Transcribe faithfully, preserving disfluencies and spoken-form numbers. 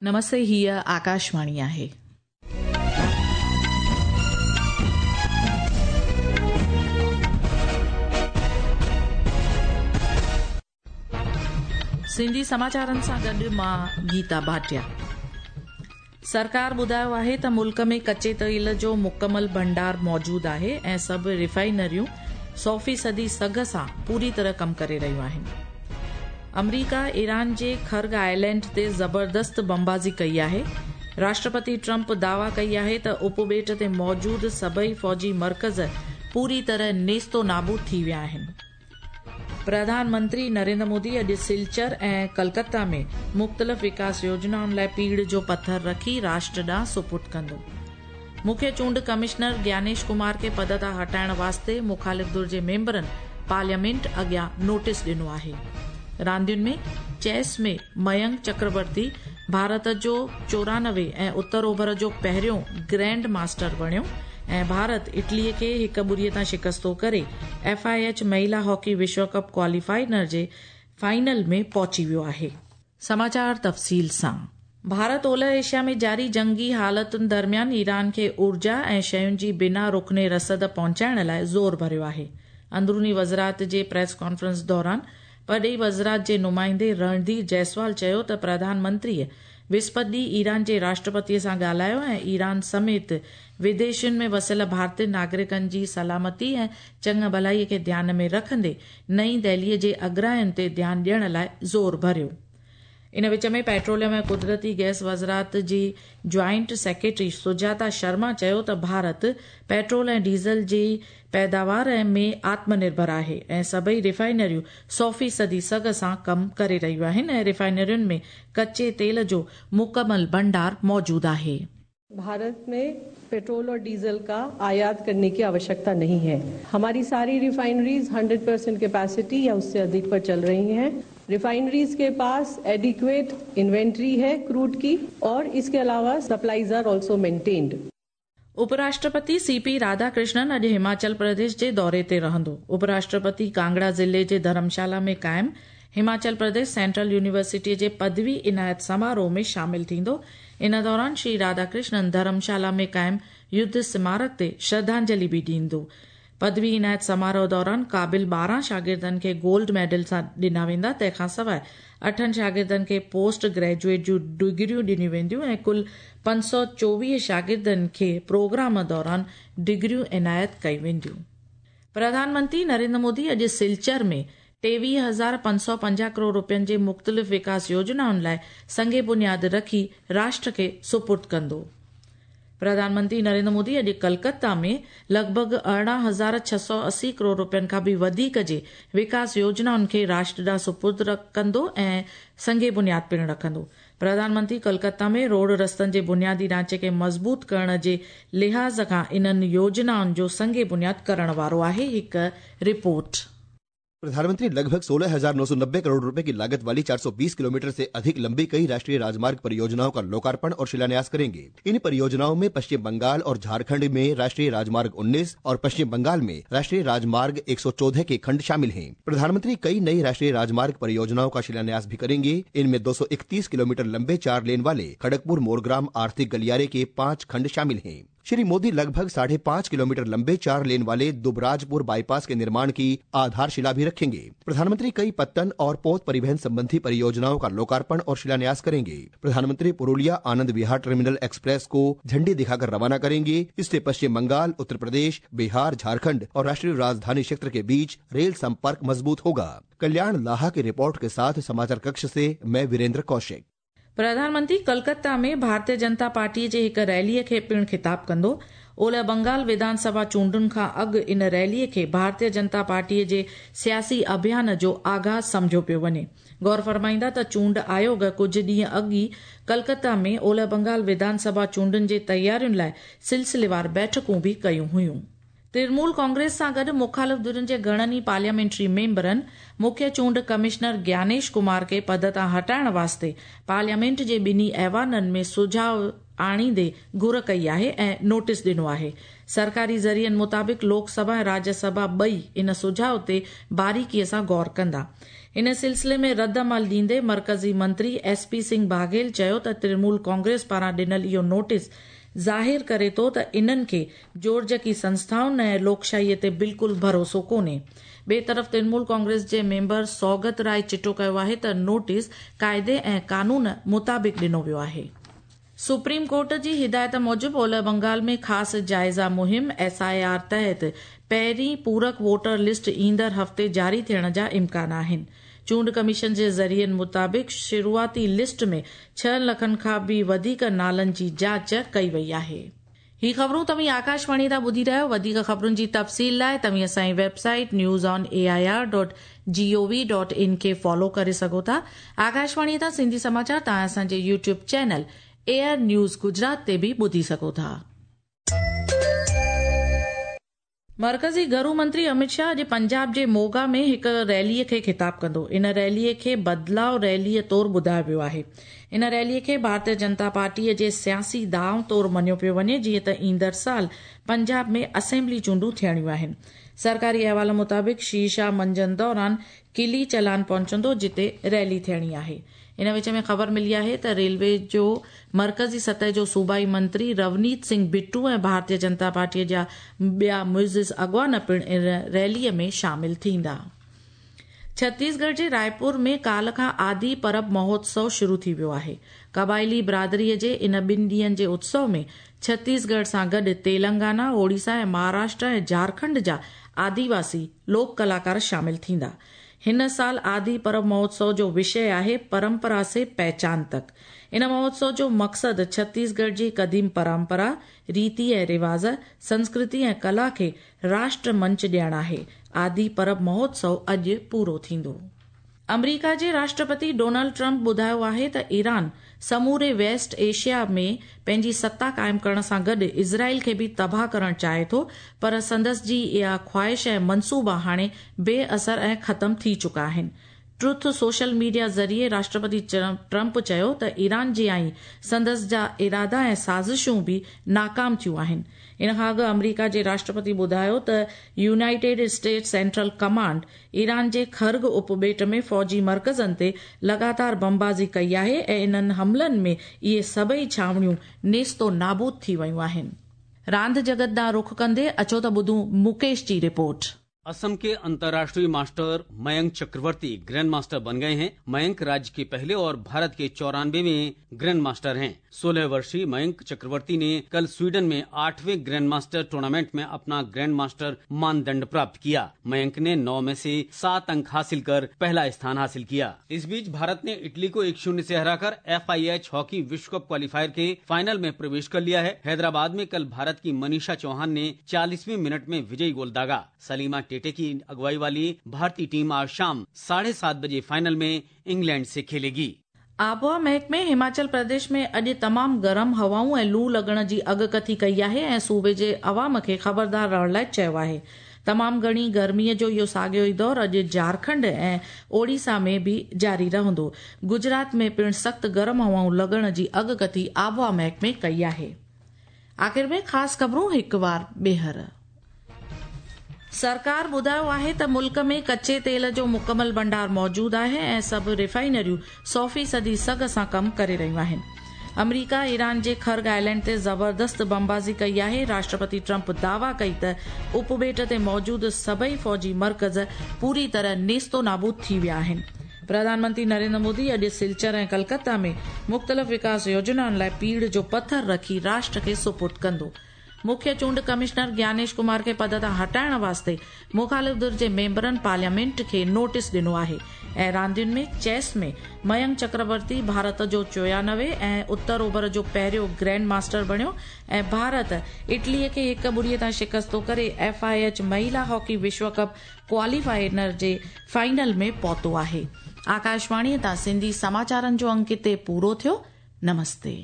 नमस्ते, हीअ आकाशवाणी आहे। सिंधी समाचारनि सां गॾु मां गीता भाटिया। सरकार ॿुधायो आहे त मुल्क में कच्चे तेल जो मुकमल भंडार मौजूद आहे ऐं सभु रिफाइनरियूं सौ फीसदी सघ सां पूरी तरह कमु करे रहियूं आहिनि। अमरीका ईरान जे खर्ग आइलैंड ते ज़बरदस्त बमबाज़ी कई आहे। राष्ट्रपति ट्रंप दावा कई आहे त उपॿेट ते मौजूद सभई फौजी मर्कज़ पूरी तरह नेस्तो नाबूद थी विया आहिनि। प्रधानमंत्री नरेंद्र मोदी अॼु सिलचर ऐं कलकत्ता में मुख़्तलिफ़ विकास योजनाउनि लाइ पीड़ जो पथर रखी राष्ट्र ॾांहुं सुपुर्द कंदो। मुख्य चूंड कमिश्नर ज्ञानेश कुमार खे पद तां हटाइण वास्ते मुखालिफ़ धुर जे मेंबरनि पार्लियामेंट अॻियां नोटिस ॾिनो आहे। रांदियुनि में चेस में मयंक चक्रवर्ती भारत जो चोरानवे ऐं उत्तर ओभर जो पहिरियों ग्रैंड मास्टर बणियो ऐं भारत इटलीअ खे हिकु ॿुड़ीअ तां शिकस्तो करे एफ I H महिला हॉकी विश्व कप क्वालीफायर जे फाइनल में पहुची वियो आहे। समाचार तफ़सील सां। भारत ओलह एशिया में जारी जंगी हालतुनि दरमियान ईरान खे ऊर्जा ऐं शयुनि जी बिना रुकने रसद पहुचाइण लाइ ज़ोर भरियो आहे। अंदरूनी वज़ारत जे प्रेस कॉन्फ्रेंस दौरान परॾेही वज़ारत जे नुमाइंदे रणधीर जायसवाल चयो त प्रधानमंत्रीअ विस्पति ॾींहुं ईरान जे राष्ट्रपतीअ सां ॻाल्हायो ऐं ईरान समेत विदेशनि में वसियल भारतीय नागरिकनि जी सलामती ऐं चङु भलाईअ खे ध्यान में रखंदे नई दिल्लीअ जे अगरायुनि ते ध्यानु ॾियण लाइ ज़ोर भरियो। इन विच में पेट्रोलियम ऐं कुदरती गैस वज़ारत जी ज्वाइंट सेक्रेटरी सुजाता शर्मा चयो त भारत पेट्रोल ऐं डीज़ल जी पैदावार में आत्मनिर्भर आहे ऐं सभई रिफाइनरियूं सौ फीसदी सघ सां कमु करे रहियूं आहिनि ऐं रिफाइनरियुनि में कच्चे तेल जो मुकमल भंडार मौजूद आहे। भारत में पेट्रोल और डीजल का आयात करने की आवश्यकता नहीं है। हमारी सारी रिफाइनरीज सौ परसेंट कैपेसिटी या उससे अधिक पर चल रही हैं। रिफाइनरीज के पास एडिक्वेट इन्वेंट्री है क्रूड की और इसके अलावा सप्लाईज are also maintained. उपराष्ट्रपति सीपी राधाकृष्णन अॼु हिमाचल प्रदेश जे दौरे ते रहंदो। उपराष्ट्रपति कांगड़ा ज़िले जे धर्मशाला में क़ाइम हिमाचल प्रदेश सेंट्रल यूनिवर्सिटी जे पदवी इनायत समारोह में शामिल थींदो। इन दौरान श्री राधाकृष्णन धर्मशाला में क़ाइम युद्ध स्मारक ते श्रद्धांजलि बि ॾींदो। पदवी इनायत समारोह दौरान क़ाबिल ॿारहं शागिर्दनि खे गोल्ड मेडल सां ॾिना वेंदा। तंहिंखां सवाइ अठनि शागिर्दनि खे पोस्ट ग्रेजुएट जूं डिग्रियूं ॾिनियूं वेंदियूं ऐं कुल पंज सौ चोवीह शागिर्दनि खे प्रोग्राम दौरान डिग्रियूं इनायत कयूं वेंदियूं। प्रधानमंत्री नरेंद्र मोदी अॼु सिलचर में टेवीह हज़ार पंज सौ पंजाह करोड़ रुपयनि जे मुख़्तलिफ़ विकास योजनाउनि लाइ संगे बुनियाद रखी राष्ट्र खे सुपुर्द कंदो। प्रधानमंत्री नरेंद्र मोदी अॼु कलकत्ता में लॻभॻि अरिड़हं हज़ार छह सौ असी करोड़ रुपयनि खां बि वधीक जे विकास योजनाउनि खे राष्ट्र ॾांहुं सुपुर्द कंदो ऐं संगे बुनियाद पिणु रखंदो। प्रधानमंत्री कलकत्ता में रोड रस्तनि जे बुनियादी ढांचे खे मज़बूत करण जे लिहाज़ खां इन्हनि योजनाउनि जो संगे बुनियाद करण वारो आहे। हिकु रिपोर्ट। प्रधानमंत्री लगभग सोलह हजार नौ सौ नब्बे करोड़ रुपए की लागत वाली चार सौ बीस किलोमीटर से अधिक लंबी कई राष्ट्रीय राजमार्ग परियोजनाओं का लोकार्पण और शिलान्यास करेंगे। इन परियोजनाओं में पश्चिम बंगाल और झारखंड में राष्ट्रीय राजमार्ग उन्नीस और पश्चिम बंगाल में राष्ट्रीय राजमार्ग एक सौ चौदह के खंड शामिल हैं। प्रधानमंत्री कई नई राष्ट्रीय राजमार्ग परियोजनाओं का शिलान्यास भी करेंगे। इनमें दो सौ इकतीस किलोमीटर लंबे चार लेन वाले खड़गपुर मोरग्राम आर्थिक गलियारे के पाँच खंड शामिल हैं। श्री मोदी लगभग साढ़े पाँच किलोमीटर लंबे चार लेन वाले दुबराजपुर बाईपास के निर्माण की आधारशिला भी रखेंगे। प्रधानमंत्री कई पत्तन और पोत परिवहन संबंधी परियोजनाओं का लोकार्पण और शिलान्यास करेंगे। प्रधानमंत्री पुरुलिया आनंद विहार टर्मिनल एक्सप्रेस को झंडी दिखाकर रवाना करेंगे। इससे पश्चिम बंगाल, उत्तर प्रदेश, बिहार, झारखंड और राष्ट्रीय राजधानी क्षेत्र के बीच रेल संपर्क मजबूत होगा। कल्याण लाहा की रिपोर्ट के साथ समाचार कक्ष से मैं वीरेंद्र कौशिक। प्रधानमंत्री कलकत्ता में भारतीय जनता पार्टी जे हिकु रैलीअ खे पिणु खिताब कंदो। ओलह बंगाल विधानसभा चूंडुनि खां अॻु इन रैलीअ खे भारतीय जनता पार्टीअ जे सियासी अभियान जो आगाज़ सम्झो पियो वञे। गौर फरमाईंदा त चूंड आयोग कुझु ॾींहं अॻु ई कलकत्ता में ओलह बंगाल विधानसभा चूंडुनि जे तयारियुनि लाइ सिलसिलेवार बैठकूं बि कयूं हुयूं। तृणमूल कांग्रेस सां गॾु मुखालिफ़ धुरियुनि जे घणनि ई पार्लियामेंट्री मेंबरनि मुख्य चूंड कमिश्नर ज्ञानेश कुमार खे पद तां हटाइण वास्ते पार्लियामेंट जे ॿिन्ही ऐवाननि में सुझाव आणींदे घुर कई आहे ऐं नोटिस ॾिनो आहे। सरकारी ज़रियनि मुताबिक़ लोकसभा ऐं राज्यसभा ॿई इन सुझाव ते बारीकीअ सां गौर कंदा। ان सिलसिले में रद्द अमल ॾींदे मर्कज़ी मंत्री एस पी सिंह बाघेल चयो त तृणमूल कांग्रेस पारां ॾिनल इहो नोटिस ज़ाहिर करे थो त इन्हनि खे जोड़जकी संस्थाउनि ऐं लोकशाहीअ ते बिल्कुलु भरोसो कोन्हे। ॿिए तरफ़ तृणमूल कांग्रेस जे मेंबर सौगत राय चिटो कयो आहे त नोटिस क़ाइदे ऐं कानून मुताबिक़ ॾिनो वियो आहे। सुप्रीम कोर्ट जी हिदायत मूजिबि ओलह बंगाल में ख़ासि जाइज़ा मुहिम एस I R तहत पहिरीं पूरक वोटर लिस्ट ईंदड़ हफ़्ते जारी थियण जा इम्कान आहिनि। चूंड कमीशन जे ज़रियनि मुताबिक़ शुरुआती लिस्ट में छह लखनि खां बि वधीक नालनि जी जांच कई वई आहे। ही ख़बरूं तव्हीं आकाशवाणी तां ॿुधी रहिया आहियो। वधीक ख़बरुनि जी तफ़सील लाइ तव्हीं असांजी website news on A I R dot G O V dot in खे फॉलो करे सघो था। आकाशवाणी तां सिंधी समाचार तव्हां असांजे YouTube channel AIR news Gujarat ते बि ॿुधी सघो था। मर्कज़ी घरू मंत्री अमित शाह अॼु पंजाब जे मोगा में हिकु रैलीअ खे ख़िताब कंदो। इन रैलीअ खे बदिलाव रैलीअ तौरु ॿुधायो वियो आहे। इन रैलीअ खे भारतीय जनता पार्टीअ जे सियासी दांव तौरु मञियो पियो वञे, जीअं त ईंदड़ साल पंजाब में असेंबली चूंडूं थियणियूं आहिनि। सरकारी अहवाल मुताबिक़ श्री शाह मंझंदि दौरान किली चलान पहुचंदो, जिते रैली थियणी आहे। इन विच में ख़बर मिली आहे त रेलवे जो मर्कज़ी सतह जो सूबाई मंत्री रवनीत सिंह बिट्टू ऐं भारतीय जनता पार्टीअ जा ॿिया मुइज़िज़ अॻवान पिणु इन रैलीअ में शामिल थींदा। छत्तीसगढ़ जे रायपुर में काल खां आदि परब महोत्सव शुरू थी वियो आहे। क़बाइली बिरादरीअ जे इन ॿिनि ॾींहंनि जे उत्सव में छत्तीसगढ़ सां गॾु तेलंगाना, ओडिशा ऐं महाराष्ट्र ऐं झारखंड जा आदिवासी लोक कलाकार शामिल थींदा। हिन साल आदि परब महोत्सव जो विषय आहे परंपरा से पहचान तक। इन महोत्सव जो मक़सदु छत्तीसगढ़ जी क़दीम परंपरा, रीति ऐं रिवाज, संस्कृति ऐं कला खे राष्ट्र मंच ॾियणु आहे। आदि परब महोत्सव अॼु पूरो थींदो। अमरीका जे राष्ट्रपति डोनाल्ड ट्रंप ॿुधायो आहे त ईरान समूरे वेस्ट एशिया में पंहिंजी सत्ता क़ाइमु करण सां गॾु इज़राइल खे बि तबाह करणु चाहे थो, पर संदसि जी इहा ख़्वाहिश ऐं मनसूबा हाणे बेअसर ऐं ख़त्म थी चुका आहिनि। ट्रुथ सोशल मीडिया ज़रिए राष्ट्रपति ट्रंप चयो त ईरान जी आई संदसि जा इरादा ऐं साज़िशूं बि नाकाम थियूं आहिनि। इन खां अॻु अमरीका जे राष्ट्रपति ॿुधायो त United States Central Command Iran जे खर्ग उपॿेट में फ़ौजी मर्कज़नि ते लगातार बमबाज़ी कई आहे ऐं इन्हनि हमलनि में इहे सभई छावणियूं नेस्तो नाबूद थी वयूं आहिनि। रांदि जगत ॾांहुं रुख कंदे अचो त ॿुधूं मुकेश जी रिपोर्ट। असम के अंतर्राष्ट्रीय मास्टर मयंक चक्रवर्ती ग्रैंड मास्टर बन गए हैं। मयंक राज्य के पहले और भारत के चौरानवेवें ग्रैंड मास्टर हैं। सोलह वर्षीय मयंक चक्रवर्ती ने कल स्वीडन में आठवें ग्रैंड मास्टर टूर्नामेंट में अपना ग्रैंड मास्टर मानदंड प्राप्त किया। मयंक ने नौ में से सात अंक हासिल कर पहला स्थान हासिल किया। इस बीच भारत ने इटली को एक शून्य से हराकर एफ I H hockey विश्व कप क्वालीफायर के फाइनल में प्रवेश कर लिया है। हैदराबाद में कल भारत की मनीषा चौहान ने चालीसवीं मिनट में विजयी गोल दागा। सलीमा टेटे की अगुवाई वाली भारतीय टीम आज शाम साढ़े सात बजे फाइनल में इंग्लैंड से खेलेगी। आबोहवा महकमे हिमाचल प्रदेश में अॼु तमामु गरम हवाऊं ऐं लू लॻण जी अॻकथी कई आहे ऐं सूबे जे अवाम खे ख़बरदार रहण लाइ चयो आहे। तमामु घणी गर्मीअ जो इहो साॻियो ई दौर अॼु झारखंड ऐं ओडिशा में बि जारी रहंदो। गुजरात में पिणु सख़्तु गरम हवाऊं लॻण जी अॻकथी आबोहवा महकमे कई आहे। आख़िर में ख़ासि ख़बरूं हिकु वार ॿीहर। सरकार ॿुधायो आहे त मुल्क में कच्चे तेल जो मुकमल भंडार मौजूद आहे ऐं सभु रिफाइनरियूं सौ फ़ीसदी सघ सां कमु करे रहियूं आहिनि। अमरीका ईरान जे खर्ग आइलैंड ते ज़बरदस्त बमबाज़ी कई आहे। राष्ट्रपति ट्रंप दावा कई त उपॿेट ते मौजूद सभई फ़ौजी मर्कज़ पूरी तरह नेस्तो नाबूद थी विया आहिनि। प्रधानमंत्री नरेंद्र मोदी अॼु सिलचर ऐं कलकत्ता में मुख़्तलिफ़ विकास योजनाउनि लाइ पीड़ जो पथर रखी राष्ट्र खे सुपुर्द कंदो। मुख्य चूंड कमिश्नर ज्ञानेश कुमार खे पद तां हटाइण वास्ते मुखालिफ़ धुर जे मेंबरनि पार्लियामेंट खे नोटिस ॾिनो आहे। ऐं रांदियुनि में चेस में मयंक चक्रवर्ती भारत जो चोयानवे ऐं उत्तर ओभर जो पहिरियों ग्रैंड मास्टर बणियो ऐं भारत इटलीअ खे हिकु ॿुड़ीअ तां शिकस्तो करे एफ I H महिला हॉकी विश्व कप क्वालीफायर जे फाइनल में पहुतो आहे। आकाशवाणीअ तां सिंधी समाचारनि जो अंक हिते पूरो थियो। नमस्ते।